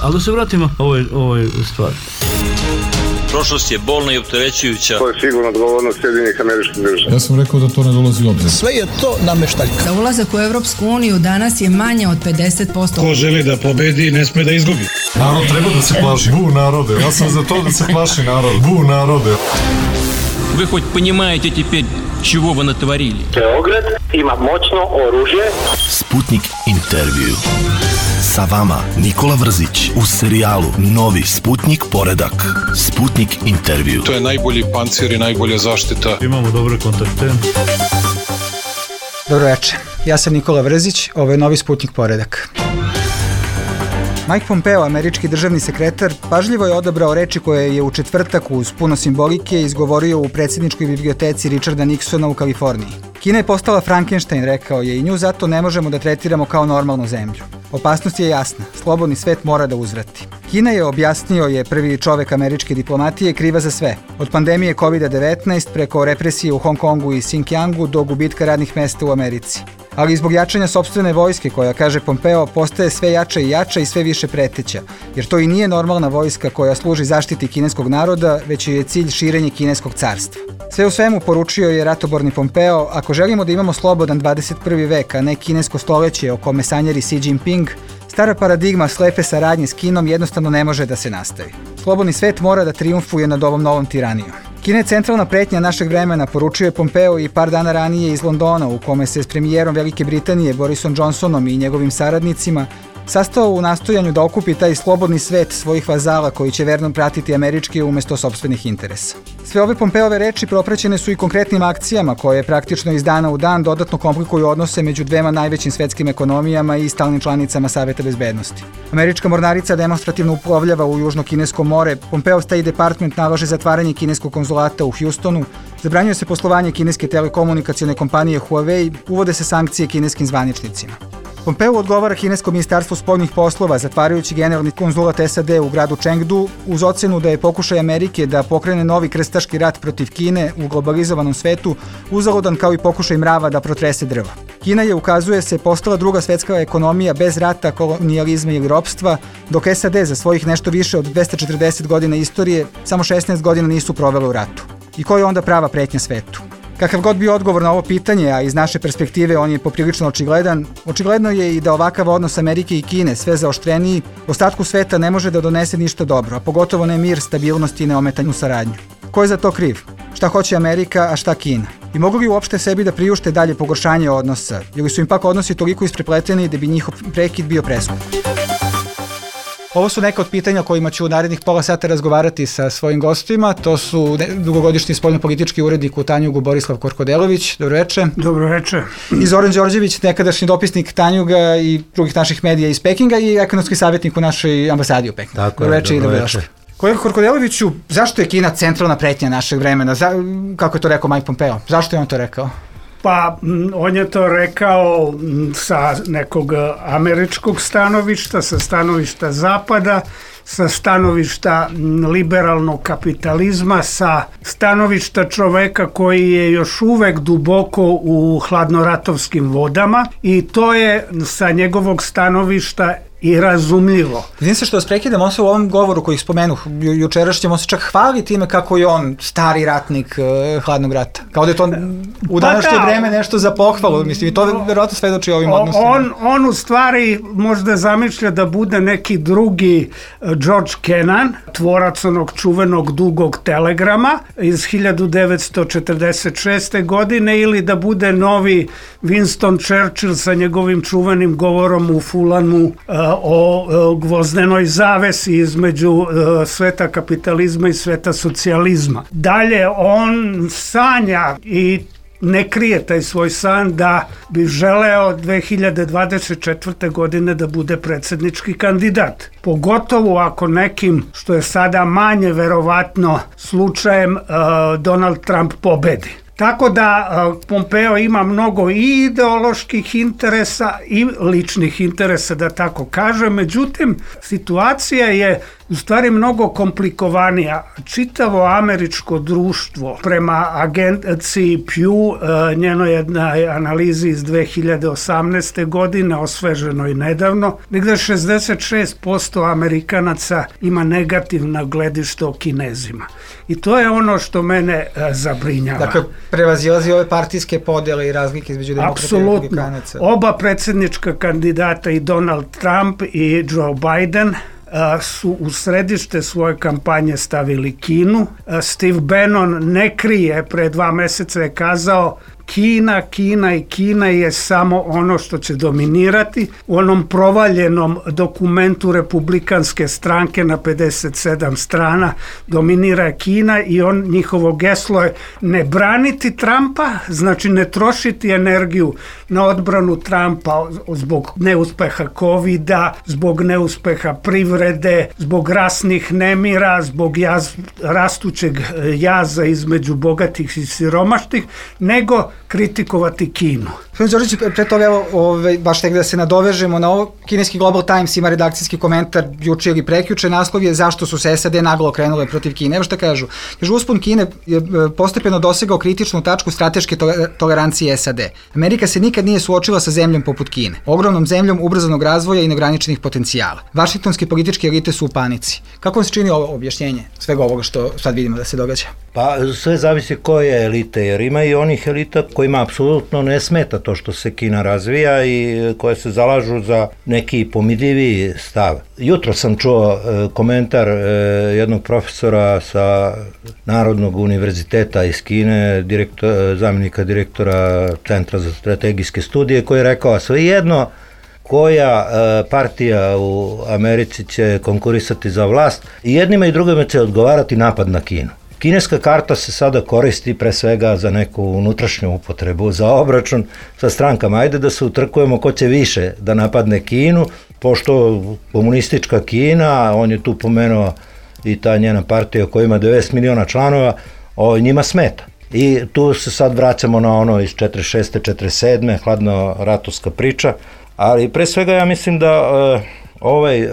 Ali da se vratimo ovoj stvari. Prošlost je bolna i opterećujuća. To je sigurno odgovornost Sjedinjenih Američkih Država. Ja sam rekao da to ne dolazi u obzir. Sve je to nameštaljka. Za ulazak u Evropsku uniju danas je manje od 50%. Ko želi da pobedi, ne sme da izgubi. Narod treba da se plaši. Bu narode. Ja sam za to da se plaši narod. Bu narode. Вы хоть понимаете теперь, чего вы натворили? Beograd ima moćno oružje. Sputnik intervju. Sa vama Nikola Vrzić u serijalu Novi Sputnik poredak. Sputnik intervju. To je najbolji pancir i najbolja zaštita. Imamo dobre kontakte. Dobro večer, ja sam Nikola Vrzić, ovo je Novi Sputnik poredak. Mike Pompeo, američki državni sekretar, pažljivo je odabrao reči koje je u četvrtak uz puno simbolike izgovorio u predsjedničkoj biblioteci Richarda Nixona u Kaliforniji. Kina je postala Frankenstein, rekao je, i nju zato ne možemo da tretiramo kao normalnu zemlju. Opasnost je jasna, slobodni svet mora da uzvrati. Kina je, objasnio je prvi čovek američke diplomatije, kriva za sve. Od pandemije COVID-19 preko represije u Hong Kongu i Xinjiangu do gubitka radnih mesta u Americi. Ali i zbog jačanja sopstvene vojske koja, kaže Pompeo, postaje sve jača i jača i sve više preteća, jer to i nije normalna vojska koja služi zaštiti kineskog naroda, već je cilj širenje kineskog carstva. Sve u svemu, poručio je ratoborni Pompeo, ako želimo da imamo slobodan 21. vek, a ne kinesko stoleće o kome sanjari Xi Jinping, stara paradigma slepe saradnje s Kinom jednostavno ne može da se nastavi. Slobodni svet mora da trijumfuje nad ovom novom tiranijom. Kina je centralna pretnja našeg vremena, poručio je Pompeo i par dana ranije iz Londona, u kome se s premijerom Velike Britanije Borisom Johnsonom i njegovim saradnicima sastao u nastojanju da okupi taj slobodni svet svojih vazala koji će verno pratiti američke umjesto sopstvenih interesa. Sve ove Pompeove reči propraćene su i konkretnim akcijama koje praktično iz dana u dan dodatno komplikuju odnose među dvema najvećim svetskim ekonomijama i stalnim članicama Saveta bezbednosti. Američka mornarica demonstrativno uplovljava u Južno-Kinesko more, Pompeo State Department nalaže zatvaranje kineskog konzulata u Houstonu, zabranjuje se poslovanje kineske telekomunikacione kompanije Huawei, uvode se sankcije kineskim zvaničnicima. Pompeo odgovara kinesko ministarstvo spoljnih poslova, zatvarajući generalni konzulat SAD u gradu Chengdu, uz ocenu da je pokušaj Amerike da pokrene novi krstaški rat protiv Kine u globalizovanom svetu uzaludan kao i pokušaj mrava da protrese drvo. Kina je, ukazuje se, postala druga svetska ekonomija bez rata, kolonijalizma ili ropstva, dok SAD za svojih nešto više od 240 godina istorije samo 16 godina nisu provele u ratu. I koja je onda prava pretnja svetu? Kakav god bio odgovor na ovo pitanje, a iz naše perspektive on je poprilično očigledan, očigledno je i da ovakav odnos Amerike i Kine, sve zaoštreniji, ostatku sveta ne može da donese ništa dobro, a pogotovo ne mir, stabilnost i neometanju saradnju. Ko je za to kriv? Šta hoće Amerika, a šta Kina? I mogu li uopšte sebi da priušte dalje pogoršanje odnosa, ili su im pak odnosi toliko isprepleteni da bi njihov prekid bio preskup? Ovo su neka od pitanja o kojima ću u narednih pola sata razgovarati sa svojim gostima. To su dugogodišnji spoljnopolitički urednik u Tanjugu Borislav Korkodelović. Dobro večer. Dobro večer. I Zoran Đorđević, nekadašnji dopisnik Tanjuga i drugih naših medija iz Pekinga i ekonomski savjetnik u našoj ambasadi u Pekingu. Tako je, dobro večer. Kolega Korkodeloviću, zašto je Kina centralna pretnja našeg vremena? Kako je to rekao Mike Pompeo? Zašto je on to rekao? Pa, on je to rekao sa nekog američkog stanovišta, sa stanovišta Zapada, sa stanovišta liberalnog kapitalizma, sa stanovišta čoveka koji je još uvek duboko u hladnoratovskim vodama i to je sa njegovog stanovišta i razumljivo. Vidim se što vas prekidam, on se u ovom govoru koji spomenuh jučerašnjem, on se čak hvali time kako je on stari ratnik hladnog rata. Kao da je to u današnje vreme nešto za pohvalu, mislim, i to verovatno svedoči ovim odnosima. On u stvari možda zamišlja da bude neki drugi George Kennan, tvorac onog čuvenog dugog telegrama iz 1946. godine ili da bude novi Winston Churchill sa njegovim čuvenim govorom u Fulanu o gvozdenoj zavesi između sveta kapitalizma i sveta socijalizma. Dalje, on sanja i ne krije taj svoj san da bi želeo 2024. godine da bude predsjednički kandidat. Pogotovo ako nekim, što je sada manje verovatno slučajem, Donald Trump pobedi. Tako da Pompeo ima mnogo i ideoloških interesa i ličnih interesa, da tako kažem. Međutim, situacija je u stvari mnogo komplikovanija. Čitavo američko društvo prema agenciji Pew, njenoj jednoj analizi iz 2018. godine, osveženoj nedavno, negde 66% Amerikanaca ima negativna gledište o Kinezima. I to je ono što mene zabrinjava. Dakle, prevazilazi ove partijske podjele i razlike između demokrata i republikanaca. Oba predsjednička kandidata, i Donald Trump i Joe Biden, su u središte svoje kampanje stavili Kinu. Steve Bannon ne krije, pre 2 meseca je kazao Kina je samo ono što će dominirati. U onom provaljenom dokumentu republikanske stranke na 57 strana dominira Kina i njihovo geslo je ne braniti Trumpa, znači ne trošiti energiju na odbranu Trumpa zbog neuspeha covida, zbog neuspeha privrede, zbog rasnih nemira, zbog rastućeg jaza između bogatih i siromašnih, nego kritikovati Kinu. Gospodin Đorđević, pre toga, baš tek da se nadovežemo na ovo, kineski Global Times ima redakcijski komentar juče ili prekjuče, naslov je zašto su se SAD naglo okrenule protiv Kine. Evo šta kažu. Kažu, uspon Kine je postepeno dosegao kritičnu tačku strateške tolerancije SAD. Amerika se nikad nije suočila sa zemljom poput Kine, ogromnom zemljom ubrzanog razvoja i neograničenih potencijala. Vašingtonske političke elite su u panici. Kako vam se čini ovo objašnjenje svega ovoga što sad vidimo da se događa? Pa sve zavisi koje elite, jer ima i onih elita kojima apsolutno ne smeta to što se Kina razvija i koje se zalažu za neki pomirljiviji stav. Jutro sam čuo komentar jednog profesora sa Narodnog univerziteta iz Kine, zamjenika direktora Centra za strategijske studije, koji je rekao, svejedno koja partija u Americi će konkurisati za vlast, i jednima i drugima će odgovarati napad na Kinu. Kineska karta se sada koristi pre svega za neku unutrašnju upotrebu, za obračun sa strankama. Ajde da se utrkujemo ko će više da napadne Kinu, pošto komunistička Kina, on je tu pomenuo i ta njena partija koja ima 90 miliona članova, njima smeta. I tu se sad vraćamo na ono iz 46. 47. hladno-ratovska priča, ali pre svega ja mislim da ovaj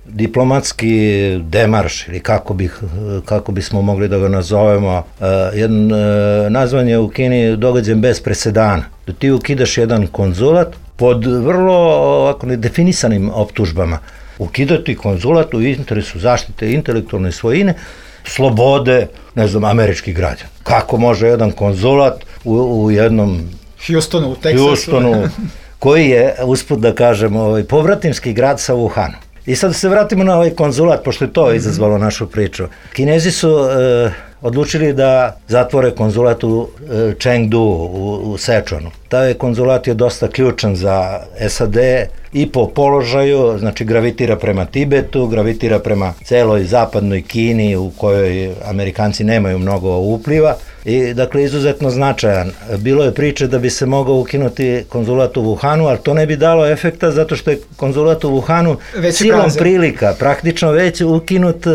diplomatski demarš, ili kako bismo mogli da ga nazovemo, nazvan je u Kini događajem bez presedana. Da ti ukidaš jedan konzulat pod vrlo ovako nedefinisanim optužbama. Ukidati konzulat u interesu zaštite intelektualne svojine, slobode, ne znam, američkih građana. Kako može jedan konzulat u jednom Houstonu, u Teksasu, koji je, usput da kažem, povratimski grad sa Wuhanu. I sad se vratimo na ovaj konzulat, pošto je to izazvalo našu priču. Kinezi su odlučili da zatvore konzulat u Chengdu, u Sečuanu. Taj konzulat je dosta ključan za SAD i po položaju, znači gravitira prema Tibetu, gravitira prema celoj zapadnoj Kini u kojoj Amerikanci nemaju mnogo upliva i dakle izuzetno značajan. Bilo je priče da bi se mogao ukinuti konzulat u Wuhanu, ali to ne bi dalo efekta zato što je konzulat u Wuhanu silom prilika praktično već ukinut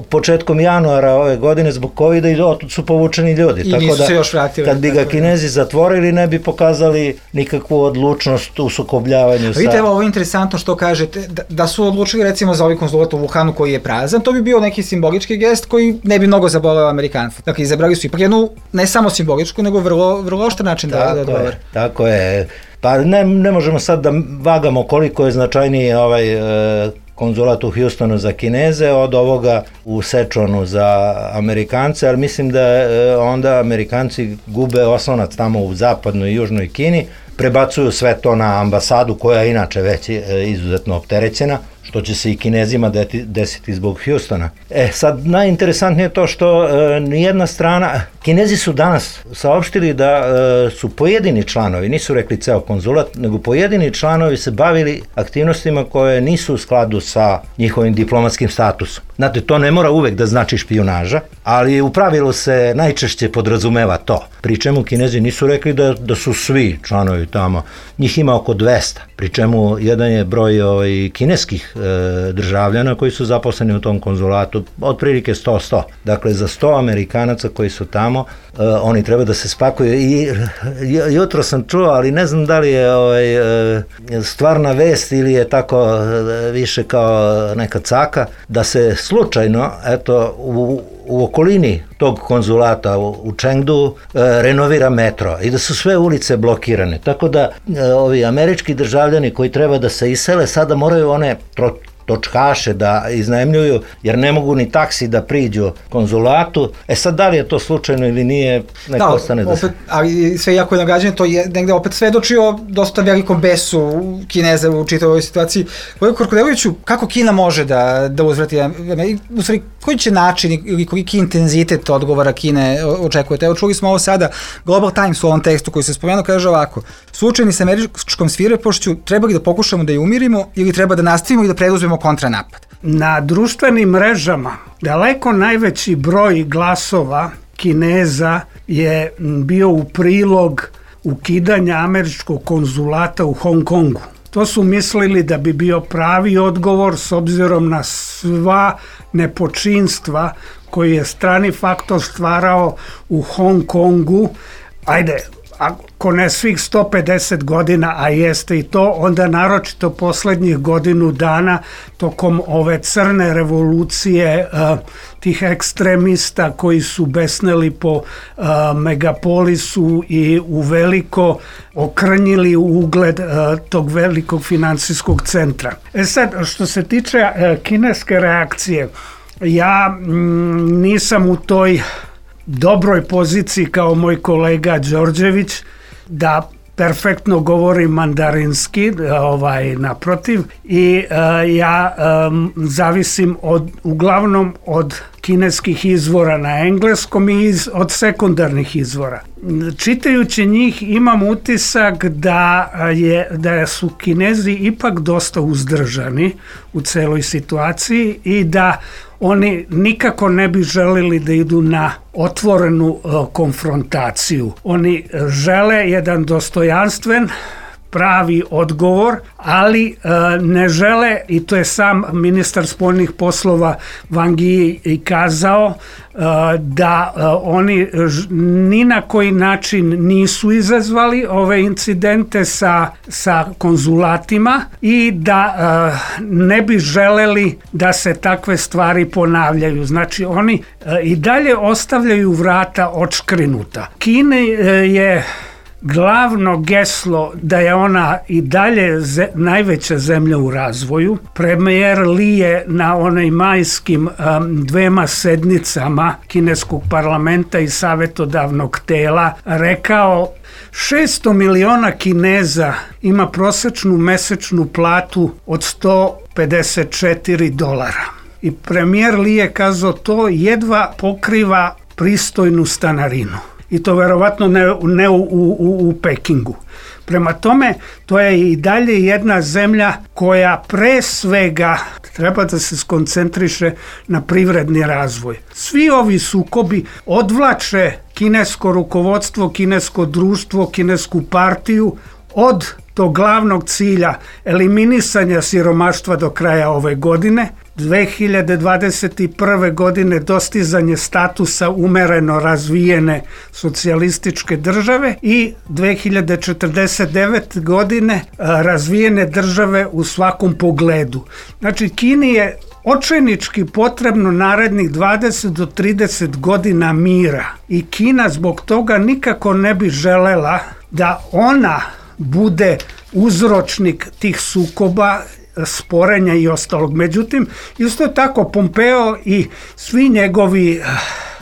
početkom januara ove godine zbog covida i otud su povučeni ljudi. I nisu se još vratili. Kad bi ga Kinezi zatvorili ne bi pokazali nikakvu odlučnost u sukobljavanju sa... Vidite, ovo je interesantno što kažete, da su odlučili recimo za ovaj konzulat u Wuhanu koji je prazan, to bi bio neki simbolički gest koji ne bi mnogo zaboleo Amerikanca. Dakle, izabrali su ipak jednu, ne samo simboličku, nego vrlo oštar način da odgovore. Tako je. Pa ne možemo sad da vagamo koliko je značajniji ovaj konzulat u Houstonu za Kineze od ovoga u Sečuanu za Amerikance, ali mislim da onda Amerikanci gube oslonac tamo u zapadnoj i južnoj Kini, prebacuju sve to na ambasadu koja je inače već izuzetno opterećena, što će se i Kinezima desiti zbog Houstona. Sad najinteresantnije je to što nijedna strana, Kinezi su danas saopštili da su pojedini članovi, nisu rekli ceo konzulat, nego pojedini članovi se bavili aktivnostima koje nisu u skladu sa njihovim diplomatskim statusom. Znate, to ne mora uvek da znači špijunaža, ali u pravilu se najčešće podrazumeva to. Pri čemu Kinezi nisu rekli da su svi članovi tamo, njih ima oko 200, pri čemu jedan je broj kineskih državljana koji su zaposleni u tom konzulatu, otprilike 100. Dakle, za 100 Amerikanaca koji su tamo, oni treba da se spakuju. I jutro sam čuo, ali ne znam da li je stvarna vest ili je tako više kao neka caka, da se slučajno, eto, u okolini tog konzulata u Chengdu renovira metro i da su sve ulice blokirane. Tako da ovi američki državljani koji treba da se isele sada moraju one točkaše da iznajmljuju, jer ne mogu ni taksi da priđu konzulatu. Sad, da li je to slučajno ili nije, neko ostane da se... Ali sve jako je nagađanje, to je negde opet svedočio dosta velikom besu Kineza u čitavoj ovoj situaciji. Kolega Korkodeloviću, kako Kina može da uzvrati, u stvari, koji će način ili koliki intenzitet odgovora Kine očekujete? Evo, čuli smo ovo sada, Global Times u ovom tekstu koji se spomenuo kaže ovako: suočeni sa američkom svirepošću, treba li da pokušamo da je umirimo ili treba da nastavimo i da preduzmemo kontranapad? Na društvenim mrežama daleko najveći broj glasova Kineza je bio u prilog ukidanja američkog konzulata u Hong Kongu. To su mislili da bi bio pravi odgovor s obzirom na sva nepočinstva koji je strani faktor stvarao u Hong Kongu. Ajde, ako ne svih 150 godina, a jeste i to, onda naročito poslednjih godinu dana tokom ove crne revolucije tih ekstremista koji su besneli po megapolisu i uveliko okrnjili ugled tog velikog finansijskog centra. Sad, što se tiče kineske reakcije, ja nisam u toj dobroj poziciji kao moj kolega Đorđević da perfektno govori mandarinski, naprotiv, i ja zavisim uglavnom od kineskih izvora na engleskom i od sekundarnih izvora. Čitajući njih imam utisak da su Kinezi ipak dosta uzdržani u celoj situaciji i da oni nikako ne bi želeli da idu na otvorenu konfrontaciju. Oni žele jedan dostojanstven, pravi odgovor, ali ne žele, i to je sam ministar spoljnih poslova Wang Yi i kazao, da oni ni na koji način nisu izazvali ove incidente sa konzulatima i da ne bi želeli da se takve stvari ponavljaju. Znači, oni i dalje ostavljaju vrata odškrinuta. Kina je glavno geslo da je ona i dalje najveća zemlja u razvoju. Premijer Li je na onaj majskim 2 sednicama kineskog parlamenta i savjetodavnog tela rekao 600 miliona Kineza ima prosečnu mesečnu platu od $154. I premijer Li je kazao to jedva pokriva pristojnu stanarinu. I to verovatno ne u Pekingu. Prema tome, to je i dalje jedna zemlja koja pre svega treba da se skoncentriše na privredni razvoj. Svi ovi sukobi odvlače kinesko rukovodstvo, kinesko društvo, kinesku partiju od tog glavnog cilja eliminisanja siromaštva do kraja ove godine, 2021. godine dostizanje statusa umereno razvijene socijalističke države i 2049. godine razvijene države u svakom pogledu. Znači, Kini je očajnički potrebno narednih 20 do 30 godina mira i Kina zbog toga nikako ne bi želela da ona bude uzročnik tih sukoba, sporenja i ostalog. Međutim, isto tako Pompeo i svi njegovi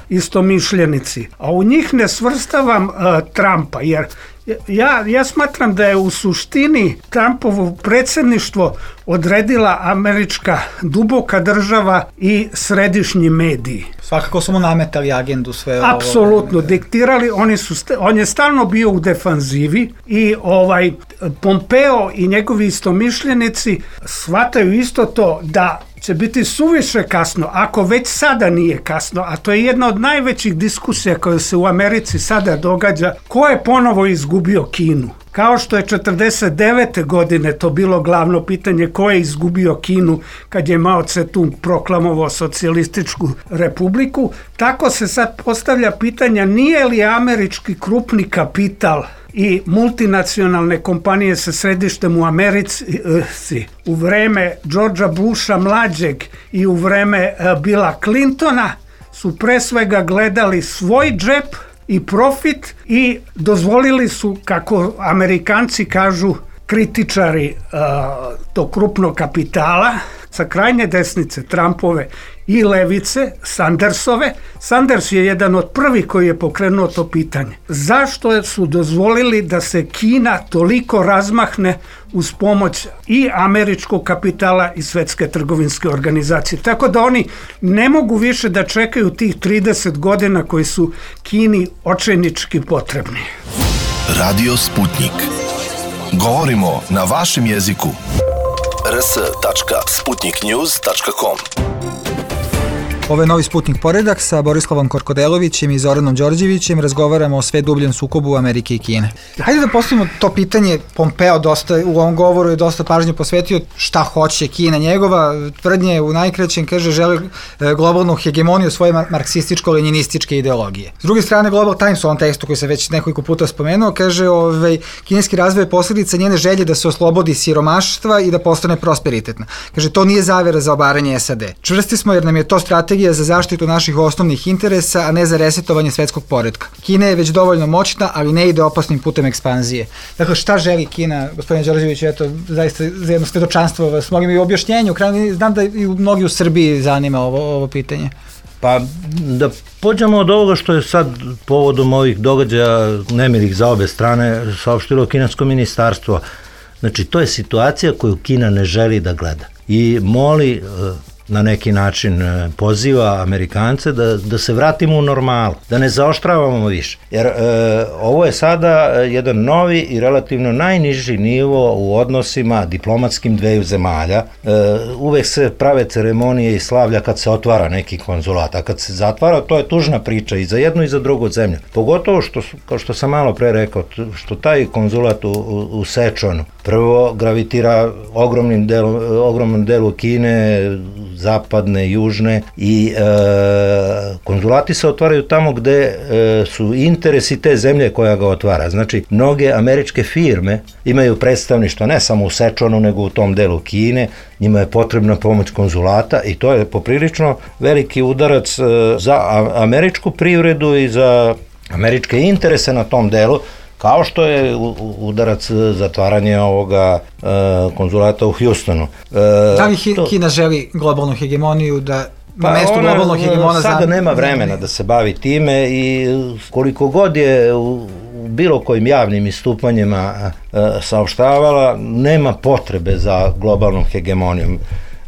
istomišljenici, a u njih ne svrstavam Trumpa, jer ja smatram da je u suštini Trumpovo predsjedništvo odredila američka duboka država i središnji mediji. Svakako su mu nametali agendu sve. Apsolutno, diktirali, on je stalno bio u defanzivi i Pompeo i njegovi istomišljenici shvataju isto to da će biti suviše kasno, ako već sada nije kasno, a to je jedna od najvećih diskusija koja se u Americi sada događa, ko je ponovo izgubio izgubio Kinu? Kao što je 49. godine to bilo glavno pitanje ko je izgubio Kinu kad je Mao Tse-tung proklamovao socijalističku republiku, tako se sad postavlja pitanja nije li američki krupni kapital i multinacionalne kompanije sa središtem u Americi u vreme Georgea Busha mlađeg i u vreme Billa Clintona su pre svega gledali svoj džep i profit i dozvolili su, kako Amerikanci kažu, kritičari tog krupnog kapitala sa krajnje desnice, Trumpove i levice, Sandersove. Sanders je jedan od prvih koji je pokrenuo to pitanje. Zašto su dozvolili da se Kina toliko razmahne uz pomoć i američkog kapitala i Svetske trgovinske organizacije? Tako da oni ne mogu više da čekaju tih 30 godina koji su Kini očajnički potrebni. Radio Sputnik. Govorimo na vašem jeziku. rs.sputniknews.com. Ovo je novi Sputnik poredak sa Borislavom Korkodelovićem i Zoranom Đorđevićem. Razgovaramo o sve dubljem sukobu Amerike i Kine. Hajde da postavimo to pitanje. Pompeo dosta u ovom govoru je dosta pažnje posvetio šta hoće Kina. Njegova tvrdnje u najkraćem kaže želi globalnu hegemoniju svoje marksističko-leninističke ideologije. S druge strane, Global Times u ovom tekstu koji se već nekoliko puta spomenuo kaže kineski razvoj je posljedica njene želje da se oslobodi siromaštva i da postane prosperitetna. Kaže to nije zavera za obaranje SAD. Čvrsti smo jer nam je to strategija za zaštitu naših osnovnih interesa, a ne za resetovanje svetskog poretka. Kina je već dovoljno moćna, ali ne ide opasnim putem ekspanzije. Dakle, šta želi Kina, gospodine Đorđević, eto, zaista za jedno svedočanstvo vas molim i u objašnjenju, znam da i mnogi u Srbiji zanima ovo pitanje. Pa da pođemo od ovoga što je sad povodom ovih događaja nemilih za obe strane saopštilo kinesko ministarstvo. Znači, to je situacija koju Kina ne želi da gleda i moli na neki način poziva Amerikance da se vratimo u normalu, da ne zaoštravamo više. Jer ovo je sada jedan novi i relativno najniži nivo u odnosima diplomatskim dveju zemalja. Uvek se prave ceremonije i slavlja kad se otvara neki konzulat, a kad se zatvara, to je tužna priča i za jednu i za drugu zemlju. Pogotovo što, kao što sam malo pre rekao, što taj konzulat u Sečonu prvo gravitira ogromnom delu Kine, zapadne, južne i konzulati se otvaraju tamo gde su interesi te zemlje koja ga otvara. Znači, mnoge američke firme imaju predstavništvo ne samo u Sečonu, nego u tom delu Kine, njima je potrebna pomoć konzulata i to je poprilično veliki udarac za američku privredu i za američke interese na tom delu, kao što je udarac zatvaranje ovoga konzulata u Houstonu. Da li Kina želi globalnu hegemoniju da na mestu globalnog hegemona... Sada nema vremena da se bavi time i koliko god je u bilo kojim javnim istupanjima saopštavala, nema potrebe za globalnom hegemonijom.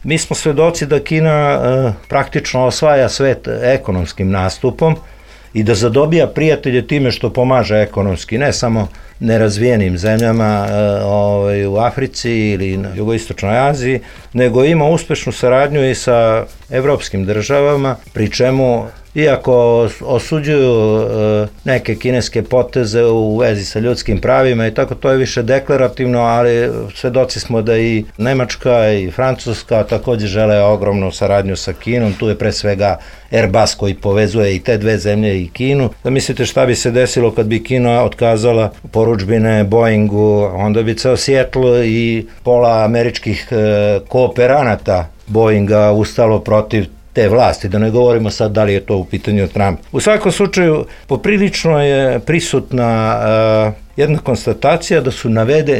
Mi smo svedoci da Kina praktično osvaja svet ekonomskim nastupom i da zadobija prijatelje time što pomaže ekonomski, ne samo nerazvijenim zemljama u Africi ili na jugoistočnoj Aziji, nego ima uspešnu saradnju i sa evropskim državama, pri čemu iako osuđuju neke kineske poteze u vezi sa ljudskim pravima i tako, to je više deklarativno, ali svedoci smo da i Nemačka i Francuska takođe žele ogromnu saradnju sa Kinom, tu je pre svega Airbus koji povezuje i te dve zemlje i Kinu. Da mislite šta bi se desilo kad bi Kina otkazala porudžbine Boeingu, onda bi ceo Seattle i pola američkih kooperanata Boeinga ustalo protiv te vlasti, da ne govorimo sad da li je to u pitanju Trump. U svakom slučaju, poprilično je prisutna jedna konstatacija da su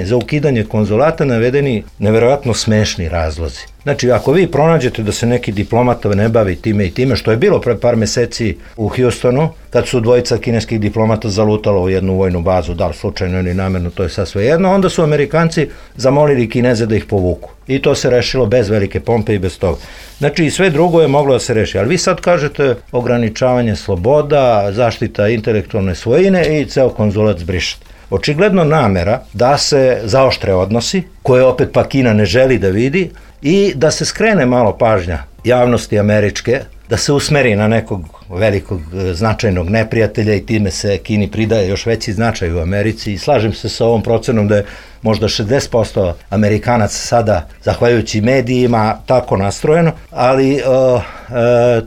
za ukidanje konzulata navedeni neverovatno smešni razlozi. Znači, ako vi pronađete da se neki diplomata ne bavi time i time, što je bilo pre par meseci u Houstonu, kad su dvojica kineskih diplomata zalutalo u jednu vojnu bazu, da li slučajno ili namerno, to je sad sve jedno, onda su Amerikanci zamolili Kineze da ih povuku. I to se rešilo bez velike pompe i bez toga. Znači, i sve drugo je moglo da se reši. Ali vi sad kažete ograničavanje sloboda, zaštita intelektualne svojine i ceo konzulat zbrišete. Očigledno namera da se zaoštre odnosi, koje opet pa Kina ne želi da vidi, i da se skrene malo pažnja javnosti američke, da se usmeri na nekog velikog značajnog neprijatelja i time se Kini pridaje još veći značaj u Americi i slažem se sa ovom procenom da je možda 60% Amerikanaca sada, zahvaljujući medijima, tako nastrojeno, ali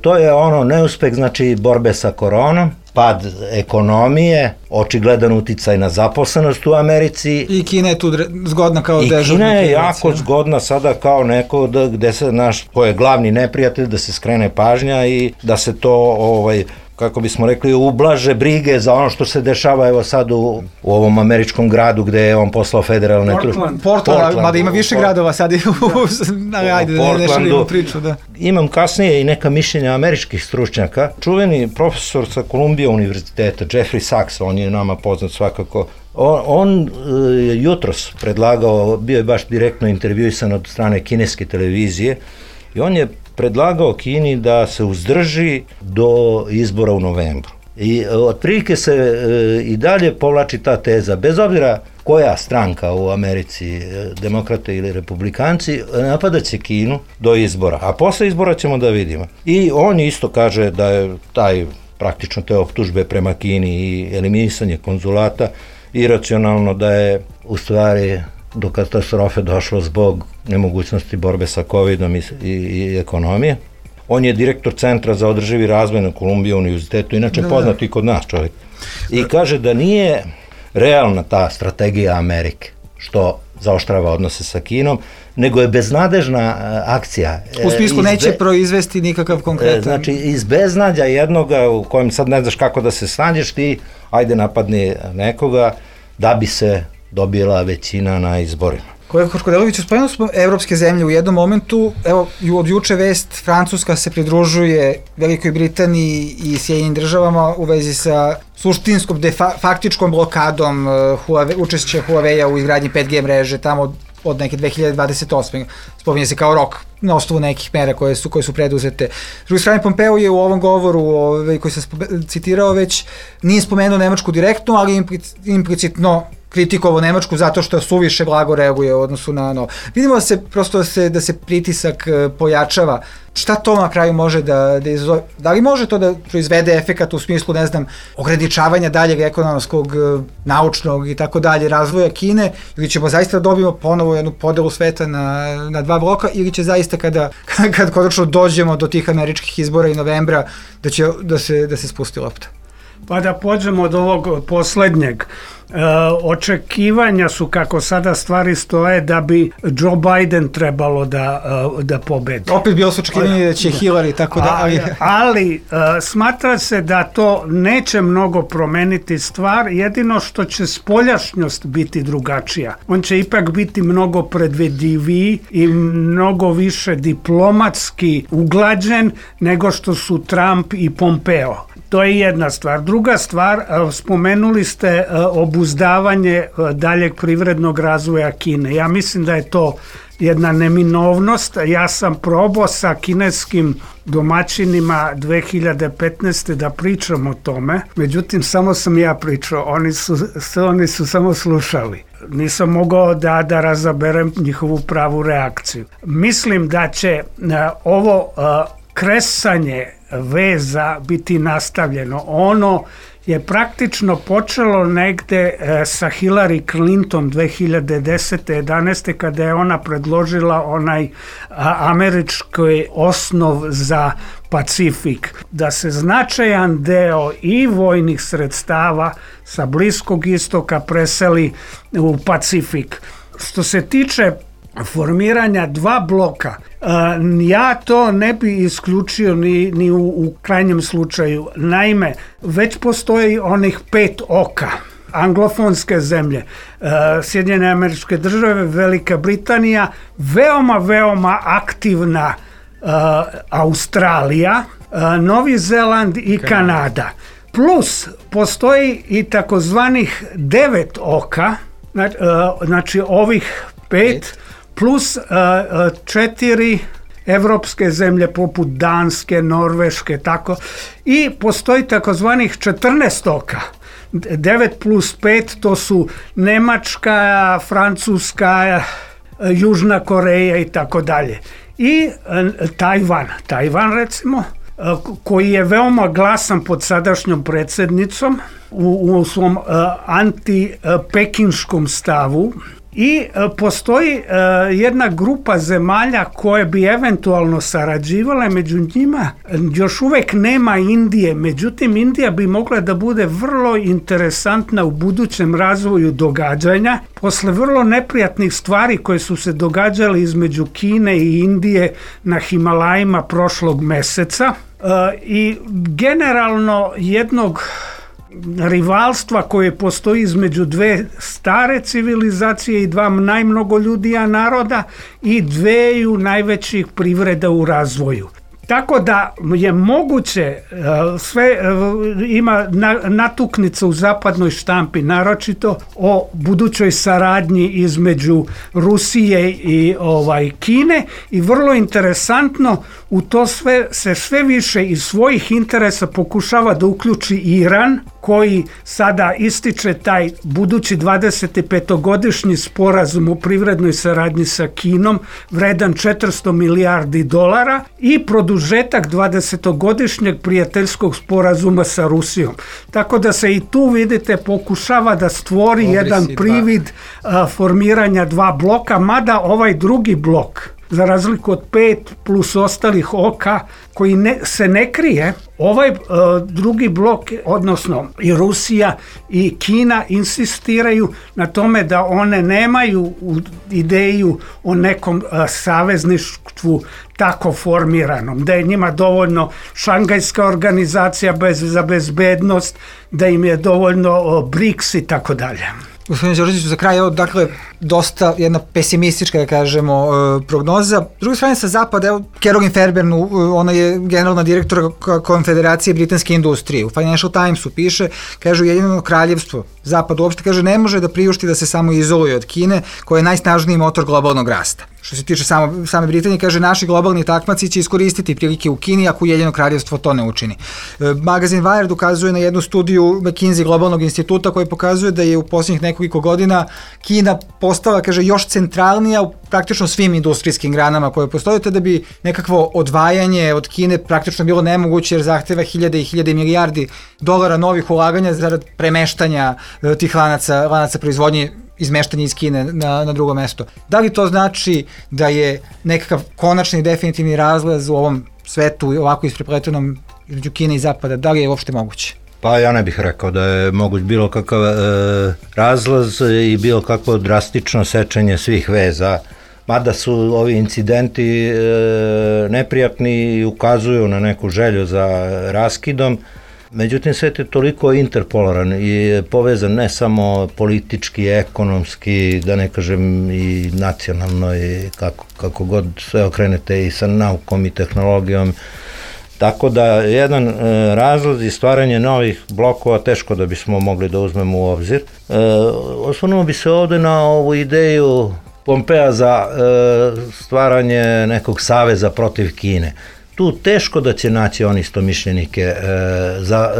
to je neuspeh, znači borbe sa koronom, pad ekonomije, očigledan uticaj na zaposlenost u Americi. I Kina je tu zgodna kao dežurna. I Kina je jako zgodna sada kao neko gde se ko je glavni neprijatelj, da se skrene pažnja i da se to kako bismo rekli, ublaže brige za ono što se dešava evo sad u ovom američkom gradu gde je on poslao federalne... Portland, mada ima više gradova sad. Ajde, ne šalimo priču, da. Imam kasnije i neka mišljenja američkih stručnjaka. Čuveni profesor sa Columbia univerziteta, Jeffrey Sachs, on je nama poznat svakako, on jutros predlagao, bio je baš direktno intervjuisan od strane kineske televizije i on je predlagao Kini da se uzdrži do izbora u novembru. I otprilike se i dalje povlači ta teza, bez obzira koja stranka u Americi, demokrate ili republikanci, napadat će Kinu do izbora, a posle izbora ćemo da vidimo. I on isto kaže da je praktično te optužbe prema Kini i eliminisanje konzulata iracionalno, da je u stvari do katastrofe došlo zbog nemogućnosti borbe sa COVID-om i ekonomije. On je direktor Centra za održivi razvoj na Columbia univerzitetu, inače poznat i kod nas čovjek. I kaže da nije realna ta strategija Amerike, što zaoštrava odnose sa Kinom, nego je beznadežna akcija. U smislu neće proizvesti nikakav konkretan... Znači, iz beznadja jednoga u kojem sad ne znaš kako da se snađeš, ti ajde napadni nekoga da bi se dobila većina na izborima. Kolega Hoškodelović, spomenuli smo evropske zemlje u jednom momentu, evo od juče vest, Francuska se pridružuje Velikoj Britaniji i Sjedinjenim državama u vezi sa suštinskom, faktičkom blokadom učešća Huawei-a u izgradnji 5G mreže tamo od neke 2028. Spominje se kao rok na osnovu nekih mera koje su preduzete. S druge strane, Pompeo je u ovom govoru koji sam citirao već, nije spomenuo Nemačku direktno, ali implicitno kritikovao Nemačku zato što suviše blago reaguje u odnosu na ono. Vidimo da se pritisak pojačava. Šta to na kraju može da izazove? Da li može to da proizvede efekat u smislu, ne znam, ograničavanja daljeg ekonomskog, naučnog i tako dalje razvoja Kine, ili ćemo zaista dobijemo ponovo jednu podelu sveta na dva bloka, ili će zaista kad konačno dođemo do tih američkih izbora i novembra da se spusti lopta? Pa da pođemo od ovog poslednjeg. Očekivanja su, kako sada stvari stoje, da bi Joe Biden trebalo da pobedi. Opet bilo su očekivanje da će Hillary, tako da... Ali smatra se da to neće mnogo promeniti stvar, jedino što će spoljašnjost biti drugačija. On će ipak biti mnogo predvidiviji i mnogo više diplomatski uglađen nego što su Trump i Pompeo. To je jedna stvar. Druga stvar, spomenuli ste obuzdavanje daljeg privrednog razvoja Kine. Ja mislim da je to jedna neminovnost. Ja sam probao sa kineskim domaćinima 2015. da pričam o tome, međutim samo sam ja pričao, oni su samo slušali. Nisam mogao da razaberem njihovu pravu reakciju. Mislim da će ovo kresanje veza biti nastavljeno. Ono je praktično počelo negde sa Hillary Clinton 2010. 11. kada je ona predložila onaj američki osnov za Pacifik, da se značajan deo i vojnih sredstava sa Bliskog istoka preseli u Pacifik. Što se tiče formiranja dva bloka, ja to ne bi isključio ni u krajnjem slučaju. Naime, već postoji onih 5 oka. Anglofonske zemlje, Sjedinjene Američke Države, Velika Britanija, veoma aktivna Australija, Novi Zeland i Kanada. Plus, postoji i takozvanih 9 oka, znači ovih 5, plus 4 evropske zemlje poput Danske, Norveške, tako, i postoji takozvanih 14 oka. 9 plus 5 to su Nemačka, Francuska, Južna Koreja i tako dalje. I Tajvan recimo, koji je veoma glasan pod sadašnjom predsjednicom u svom anti-pekinškom stavu. I postoji jedna grupa zemalja koje bi eventualno sarađivale, među njima još uvek nema Indije, međutim Indija bi mogla da bude vrlo interesantna u budućem razvoju događanja. Posle vrlo neprijatnih stvari koje su se događale između Kine i Indije na Himalajima prošlog meseca i generalno jednog rivalstva koje postoji između dve stare civilizacije i dva najmnogoljudija naroda i dveju najvećih privreda u razvoju. Tako da je moguće, sve ima natuknica u zapadnoj štampi, naročito o budućoj saradnji između Rusije i Kine i vrlo interesantno u to sve više iz svojih interesa pokušava da uključi Iran, koji sada ističe taj budući 25-godišnji sporazum o privrednoj saradnji sa Kinom vredan 400 milijardi dolara i produžetak 20-godišnjeg prijateljskog sporazuma sa Rusijom. Tako da se i tu, vidite, pokušava da stvori jedan privid formiranja dva bloka, mada ovaj drugi blok, za razliku od 5 plus ostalih oka koji se ne krije, ovaj drugi blok, odnosno i Rusija i Kina insistiraju na tome da one nemaju ideju o nekom savezništvu tako formiranom, da je njima dovoljno Šangajska organizacija za bezbednost, da im je dovoljno BRICS i tako dalje. Gospodine Đorđeviću, za kraj, dakle, dosta jedna pesimistička, da kažemo, prognoza. S druge strane, sa zapada, evo, Caroline Fairbairn, ona je generalna direktora Konfederacije britanske industrije. U Financial Timesu piše, kaže, Ujedinjeno kraljevstvo, zapad uopšte, kaže, ne može da priušti da se samo izoluje od Kine, koja je najsnažniji motor globalnog rasta. Što se tiče same Britanije, kaže, naši globalni takmaci će iskoristiti prilike u Kini ako Ujedinjeno kraljevstvo to ne učini. Magazin Wired ukazuje na jednu studiju McKinsey globalnog instituta koji pokazuje da je u posljednjih nekoliko godina Kina postala, kaže, još centralnija u praktično svim industrijskim granama koje postoje, te da bi nekakvo odvajanje od Kine praktično bilo nemoguće jer zahteva hiljade i hiljade milijardi dolara novih ulaganja zarad premeštanja tih lanaca proizvodnje, izmeštanje iz Kine na drugo mesto. Da li to znači da je nekakav konačni i definitivni razlaz u ovom svetu ovako isprepletenom između Kine i Zapada, da li je uopšte moguće? Pa ja ne bih rekao da je moguć bilo kakav razlaz i bilo kakvo drastično sečenje svih veza, mada su ovi incidenti neprijatni i ukazuju na neku želju za raskidom. Međutim, svet je toliko interpolaran i povezan ne samo politički, ekonomski, da ne kažem i nacionalno i kako god sve okrenete i sa naukom i tehnologijom. Tako da jedan razlaz i stvaranje novih blokova teško da bismo mogli da uzmemo u obzir. Osvrnuo bi se ovde na ovu ideju Pompea za stvaranje nekog saveza protiv Kine. Tu teško da će naći oni istomišljenike za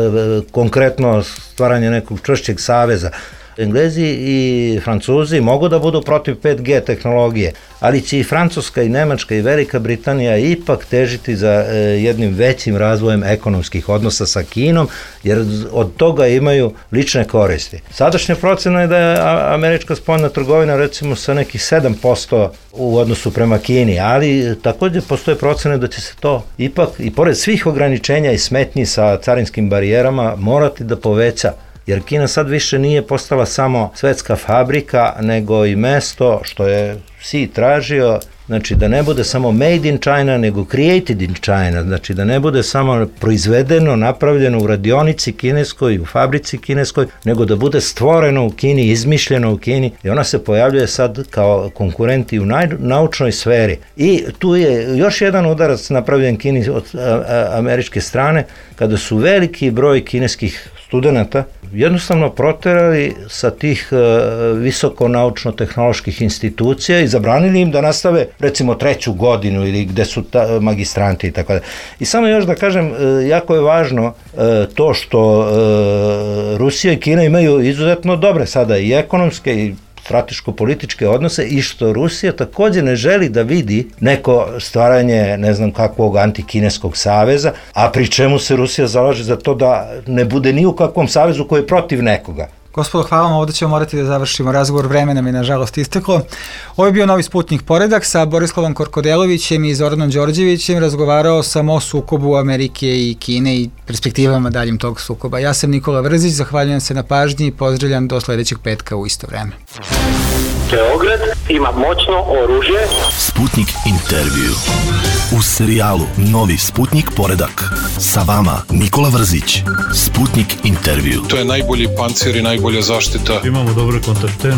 konkretno stvaranje nekog čvršćeg saveza. Englezi i Francuzi mogu da budu protiv 5G tehnologije, ali će i Francuska i Nemačka i Velika Britanija ipak težiti za jednim većim razvojem ekonomskih odnosa sa Kinom, jer od toga imaju lične koristi. Sadašnja procena je da je američka spoljna trgovina recimo sa nekih 7% u odnosu prema Kini, ali također postoje procene da će se to ipak i pored svih ograničenja i smetnji sa carinskim barijerama morati da poveća. Jer Kina sad više nije postala samo svetska fabrika, nego i mesto što je Xi tražio, znači da ne bude samo made in China, nego created in China, znači da ne bude samo proizvedeno, napravljeno u radionici kineskoj, u fabrici kineskoj, nego da bude stvoreno u Kini, izmišljeno u Kini i ona se pojavljuje sad kao konkurenti u naučnoj sferi. I tu je još jedan udarac napravljen Kini od američke strane, kada su veliki broj kineskih studenta jednostavno proterali sa tih visoko naučno-tehnoloških institucija i zabranili im da nastave recimo 3. godinu ili gde su magistranti i tako da. I samo još da kažem, jako je važno to što Rusija i Kina imaju izuzetno dobre sada i ekonomske i strateško-političke odnose i što Rusija takođe ne želi da vidi neko stvaranje, ne znam kakvog antikineskog saveza, a pri čemu se Rusija zalaže za to da ne bude ni u kakvom savezu koji je protiv nekoga. Gospodo, hvala vam, ovdje ćemo morati da završimo razgovor, vreme nam je nažalost isteklo. Ovo je bio Novi Sputnik Poredak, sa Borislavom Korkodelovićem i Zoranom Đorđevićem. Razgovarao sam o sukobu Amerike i Kine i perspektivama daljim tog sukoba. Ja sam Nikola Vrzić, zahvaljujem se na pažnji i pozdravljam do sledećeg petka u isto vreme. Beograd ima moćno oružje. Sputnik intervju. U serijalu Novi Sputnik Poredak. Sa vama Nikola Vrzić. Sputnik intervju. To je najbolji pancir i najbolja zaštita. Imamo dobre kontakte.